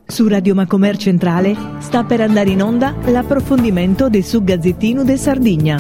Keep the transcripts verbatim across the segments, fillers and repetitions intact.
Su Radio Macomer Centrale sta per andare in onda l'approfondimento de su Gazzettinu de Sardigna.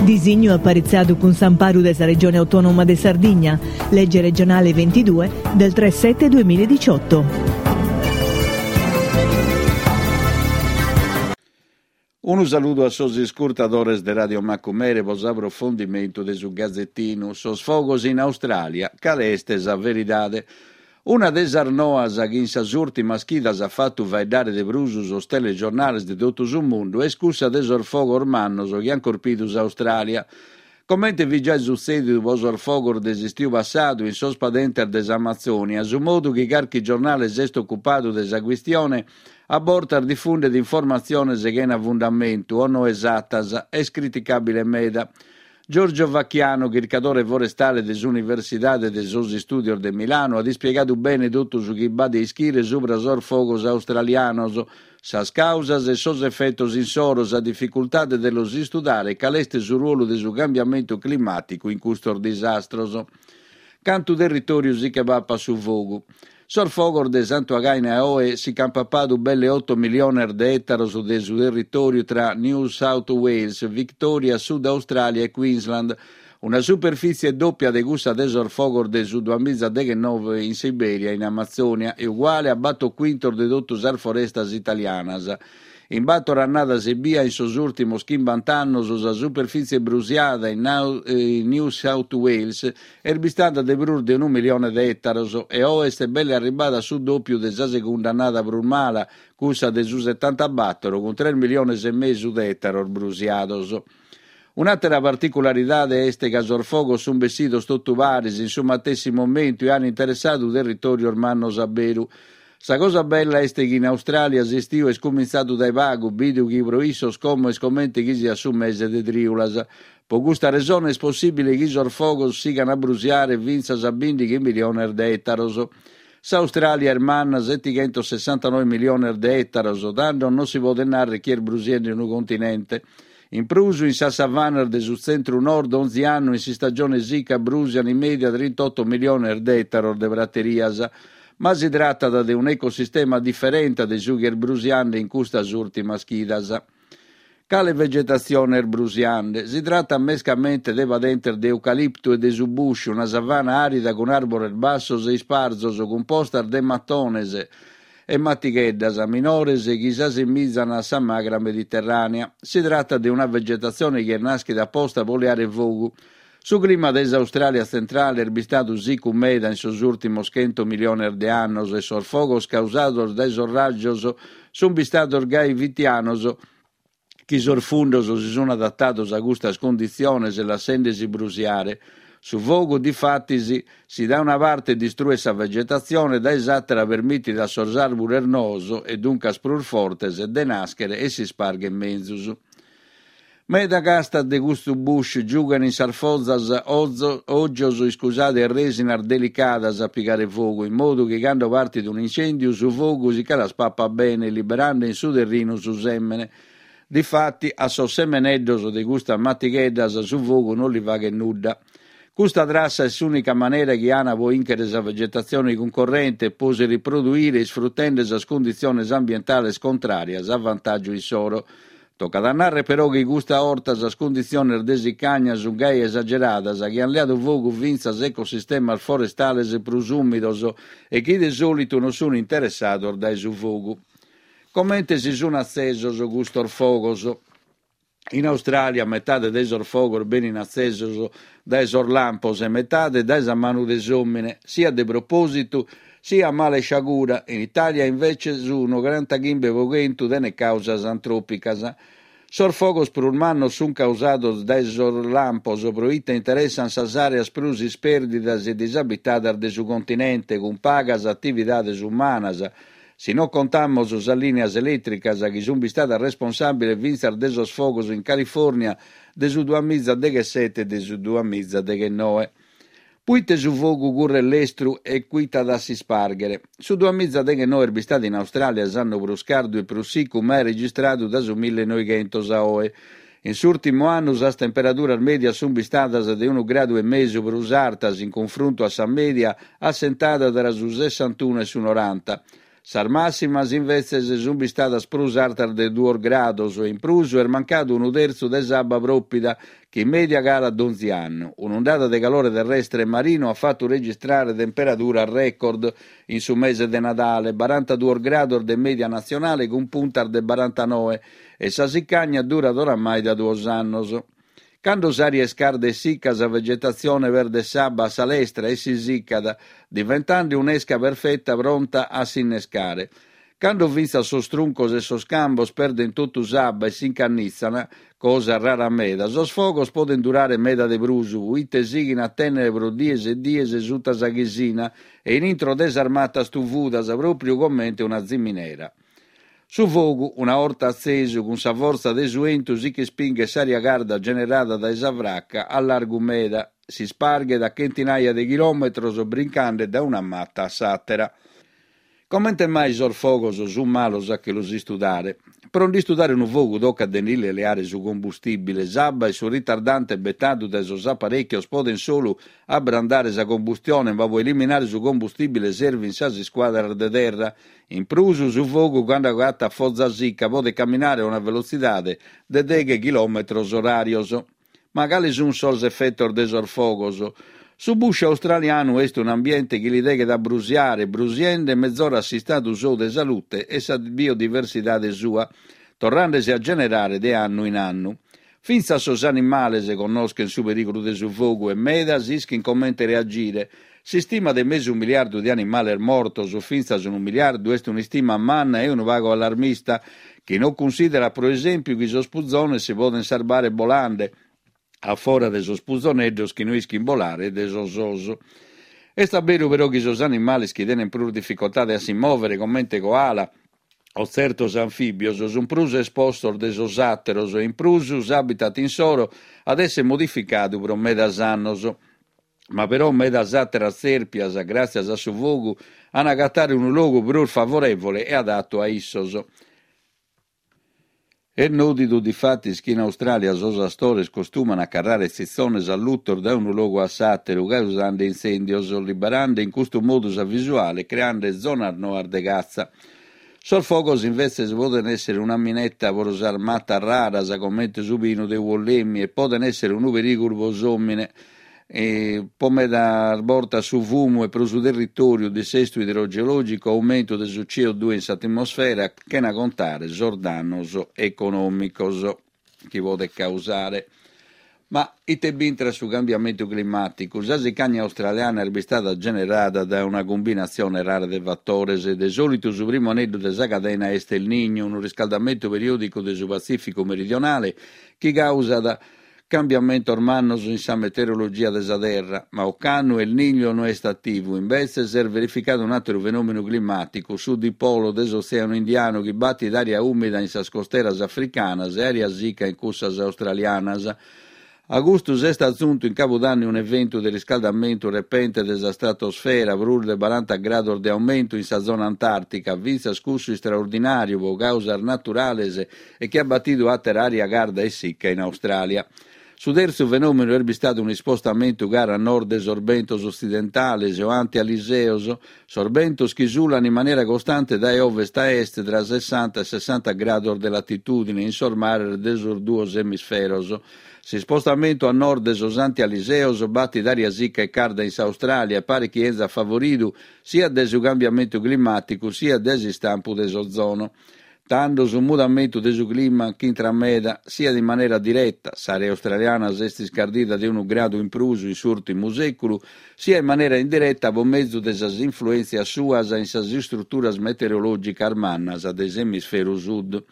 Disignu aparitzadu cun s'amparu de sa Regione Autonoma de Sardigna, legge regionale ventidue del tre sette duemiladiciotto. Unu saludu a sos iscurtadores de Radio Macumere pro s'aprofondimentu de su Gazettinu. Sos fogos in Austràlia, cale est sa veridade? Una de sas noas chi in sas ùrtimas chidas at fatu faeddare de prus sos telegiornales de totu su mundu est cussa de sos fogos mannos chi ant corpidu s'Austràlia. Comente fit giai sutzèdidu pro sos fogos de s'istiu passadu in sos padentes de s'Amazònia, su modu chi carchi giornale s'est ocupadu de sa chistione a bortas difundet informatziones chena fundamentu o no esatas, est criticàbile meda. Giorgio Vacchiano, chircadore forestale de s'Universidade de sos Istùdios de Milanu, at ispiegadu bene totu su chi b'at de ischire subra sos fogos australianos, sas càusas e sos efetos insoro, sa dificultade de los istudare e cale est su ruolu de su cambiamentu climàticu in custos disastros. Cantu territòriu si che papat su fogu? Sos fogos de Santu Againe a oe si ch'ant papadu belle oto miliones de ètaros de su territòriu tra New South Wales, Victoria, Sud Austràlia e Queensland, una superfìtzie dòpia de cussa de sos fogos de su duamiza deghenove in Siberia e in Amazònia e uguale a bator cuintos de totu sas forestas italianas. In bator annadas ebbia, in sos ùrtimos chimbanta annos, sa superfìtzie brusiada in New South Wales est bistada de prus de unu milione de ètaros e oe est belle arribbada a su dòpiu de sa segunda annada prus mala, cussa de su setantabator, cun tres miliones e mesu de ètaros brusiados. Un'àtera particularidade est ca sos fogos sunt bessidos totu paris in su matessi momentu e ant interessadu territòrios mannos a beru. Sa cosa bella est chi in Austràlia s'istiu est cumintzadu dae pagu, bidu chi pro issos como est comente chi siat su mese de trìulas. Pro custa resone est possìbile chi sos fogos sigan a brusiare fintzas a bìndighi miliones de ètaros. S'Austràlia est manna setighentos sessantanoe miliones de ètaros, tando non si podet nàrrere chi est brusiende unu continente. In prus, in sas savanas de su tzentru-nord onzi annu in s'istagione sica brùsian in mèdia trintotto miliones de ètaros de praterias. Ma si tratat de un'ecosistema diferente de su chi est brusiande in custas ùrtimas chidas. Cale vegetatzione est brusiande? Si tratat mescamente de padentes de eucaliptu e de su bush, una savana àrida cun àrbores bassos e isparzos, cumpostas de matones e matigheddas minores chi s'assimizan a sa magra mediterrànea. Si tratat de una vegetatzione chi est nàschida aposta pro leare fogu. Su clima de s'Austràlia tzentrale est bistadu sicu meda in sos ùrtimos chento miliones de annos e sos fogos causados dae sos rajos sunt bistados gai fitianos chi sos fundos si sunt adatados a custas cunditziones lassende-si brusiare. Su fogu, difatis, si dae una parte distruet sa vegetatzione, dae s'àtera permitit a sos àrbures noos, e duncas prus fortes, de nàschere e s'ispargher menzus. Meda castas de custu bush giughen in sas fozas ògios iscusade e rèsinas delicadas a pigare fogu, in modu chi cando partit un'incèndiu su fogu si che las papat bene, liberande in su terrinu su sèmene. Difati, a sos semeneddos de custas matigheddas su fogu non li faghet nudda. Custa trassa est s'ùnica manera chi an pro ìnchere sa vegetatzione cuncorrente e pro si riproduire isfrutende sas cunditziones ambientales contràrias a vantàgiu issoro. Tocat a nàrrere però chi custa 'orta sas cunditziones de sicagna sunt gai esageradas chi ant leadu fogu fintzas ecosistemas forestales prus ùmidos e chi de sòlitu non sunt interessados dae su fogu. Comente si sunt atzesos custos fogos? In Austràlia metade de sos fogos benin atzesos dae sos lampos e metade dae sa manu de s'òmine, siat de propòsitu siat a mala isciagura. In Itàlia invece su nograntachimbe pro chentu tenet càusas antròpicas. Sos fogos prus mannos sunt causados dae sos lampos pro ite interessant sas àreas prus ispèrdidas e disabitadas de su continente, cun pagas atividades umanas, si non contamos sas lìnias elètricas chi sunt bistadas responsàbiles fintzas de sos fogos in Califòrnia de su duamiza deghessete e de su duamiza deghenoe. Puite su fogu curret lestru e cuitat a s'ispàrghere? Su duamiza deghenoe est bistadu in Austràlia s'annu prus cardu e prus sicu mai registradu dae su millenoighentos a oe. In s'ùrtimu annu sas temperaduras mèdias sunt bistadas de unu gradu e mesu prus artas in cunfruntu a sa mèdia assentada tra su sessantunu e su noranta. Sas màssimas imbetzes sunt bistadas prus artas de duos grados e in prus est mancadu unu tertzu de s'abba pròpida chi in mèdia calat donzi annu. Un'undada de calore terrestre e marinu at fatu registrare temperaduras record in su mese de Nadale, barantaduos grados de mèdia natzionale cun puntas de barantanoe, e sa sicagna durat oramai da duos annos. Cando s'ària est carda e sica, sa vegetatzione perdet s'abba a sa lestra e si sicat, diventende un'esca perfeta pronta a s'innescare. Cando fintzas sos truncos e sos cambos perdent totu s'abba e s'incannitzan, cosa rara meda, sos fogos podent durare meda de prus, proite sighin a tènnere pro dies e dies suta sa chisina e in intro de sas matas tuvudas, pròpriu comente una ziminera. Su fogu, una 'orta atzesu, cun sa fortza de su 'entu si ch'ispinghet s'ària carda generada dae sa fraca a largu meda, s'isparghet a chentinaia de chilòmetros brincande dae una mata a s'àtera. Comente mai sos fogos sunt malos a che los istudare? Pro nd'istudare unu fogu tocat de ndi li leare su combustìbile. S'abba e su ritardante betadu dae sos aparèchios podent solu abrandare sa combustione, ma pro eliminare su combustìbile servint sas iscuadras de terra. In prus, su fogu, cando agatat foza sica, podet caminare a una velotzidade de deghe chilòmetros oràrios. Ma cales sunt sos efetos de sos fogos? Su bush australianu est un'ambiente chi li deghet a brusiare, brusiende mezorat s'istadu sou de salute e sa biodiversidade sua, torrende-si a generare de annu in annu. Fintzas sos animales connoschent su perìgulu de su fogu e medas ischint comente reagire. S'istima de mesu miliardu de animales mortos, o fintzas unu miliardu, est un'istima manna e unu pagu allarmista, chi non cunsìderat pro esèmpiu chi sos puzones si podent sarbare bolande, a fora de sos puzoneddos chi no ischint bolare e de sos os. Est a beru però chi sos animales chi tenent prus dificoltade a si mòvere, comente koala o tzertos anfìbios, sunt prus espostos de sos àteros e in prus s'habitat insoro at èssere modificadu pro medas annos. Ma però medas àteras tzèrpias, gràtzias a su fogu, an a agatare unu logu prus favorèvole e adatu a issos. Est nòdidu difatis chi in Austràlia sos astores costuman a carrare tzitzones allutos dae unu logu a s'àteru, causende intzèndios, liberende in custu modu sa visuale e creende zonas noas de catza. Sos fogos imbetzes podent èssere una mineta pro sas matas raras, comente su pinu de Wollemi, e podent èssere unu perìgulu pro s'òmine, pro medas bortas su fumu e pro su territòriu, dissestu idrogeològicu, aumentu de su C O due in s'atmosfera, chena contare sos dannos econòmicos chi podet causare. Ma ite b'intrat su cambiamentu climàticu? Sa sicagna australiana est bistada generada dae una cumbinatzione rara de fatores. De sòlitu su primu aneddu de sa cadena est El Niño, unu riscaldamentu periòdicu de su Patzìficu meridionale chi causat cambiamentos mannos in sa meteorologia de sa Terra, ma ocannu El Niño no est ativu, imbetzes est verificadu un'àteru fenòmenu climàticu, su dipolo de s'Otzèanu Indianu chi batit ària ùmida in sas costeras africanas e ària sica in cussas australianas. A custu s'est atzuntu in cabudanni un'eventu de riscaldamentu repente de sa stratosfera, prus de baranta grados de aumentu in sa zona antàrtica, fintzas cussu istraordinàriu pro causas naturales e chi at batidu àtera ària carda e sica in Austràlia. Su tertzu fenòmenu est bistadu un'ispostamentu cara a nord de sos bentos otzidentales o antialiseos, sos bentos chi sulan in manera costante dae ovest a est tra sessanta e sessanta grados de latitùdine in sos mares de sos duos emisferos. S'ispostamentu a nord de sos antialiseos batit ària sica e carda in s'Austràlia e paret chi enzat favoridu siat dae su cambiamentu climàticu siat dae s'istampu de s'ozono. Tando su mudamentu de su clima ch'intrat meda, siat in manera direta, s'àrea australiana s'est iscardida de unu gradu in prus in s'ùrtimu sèculu, siat in manera indireta pro mezu de sas influèntzias suas in sas istruturas meteorològicas mannas de s'emisferu sud.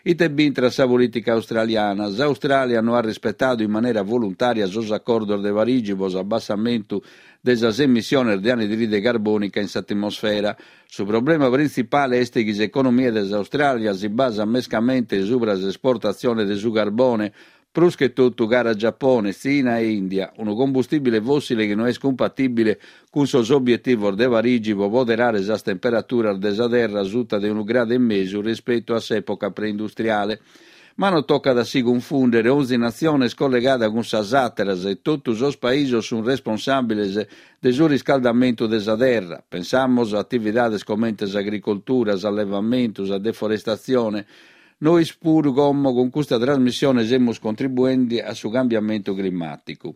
Ite b'intrat sa polìtica australiana? S'Austràlia no at rispetadu in manera voluntària sos acordos de Parigi pro s'abbassamentu de sas emissiones de anidride carbònica in s'atmosfera. Su problema printzipale est chi s'economia de s'Austràlia si basat mescamente subra s'esportatzione de su carbone, prus che totu cara a Giapone, Tzina e Ìndia, unu combustìbile fòssile chi no est cumpatìbile cun sos obietivos de Parigi pro poderare sas temperaturas de sa Terra suta de unu gradu e mesu rispetu a s'època preindustriale. Ma non tocat a si cunfùndere, onzi natzione est collegada cun sas àteras e totu sos paisos sunt responsàbiles de su riscaldamentu de sa terra. Pensamus a atividades comente s'agricoltura, s'allevamentu, sa deforestatzione. Nois puru como cun custa trasmissione semus contribuende a su cambiamentu climàticu.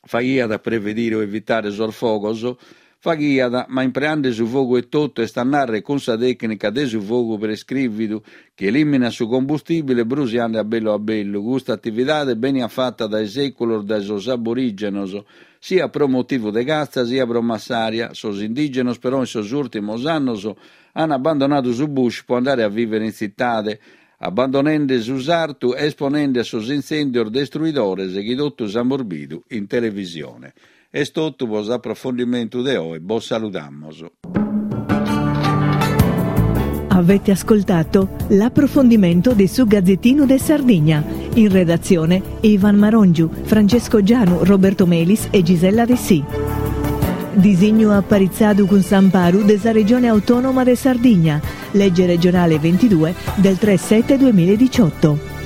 Faghiat a prevedire o evitare sos fogos? Faghiat, ma impreande su fogu etotu, est a nàrrere cun sa tècnica de su fogu prescrìvidu, chi elìminat su combustìbile brusiande a bellu a bellu. Custa atividade beniat fata dae sèculos dae sos aborìgenos, siat pro motivu de catza siat pro massaria. Sos indìgenos però in sos ùrtimos annos ant abbandonadu su bush pro andare a vìvere in tzitade, abbandonende su sartu e esponende a sos intzèndios destruidores chi totus amus bidu in televisione. Est totu pro s'aprofondimentu de oe, bos saludamos. Avete ascoltato l'approfondimento di su Gazzettino de Sardigna. In redazione Ivan Marongiu, Francesco Gianu, Roberto Melis e Gisella Dessì. Disignu aparitzadu cun s'amparu de sa Regione Autonoma de Sardigna, legge regionale ventidue del tre sette duemiladiciotto.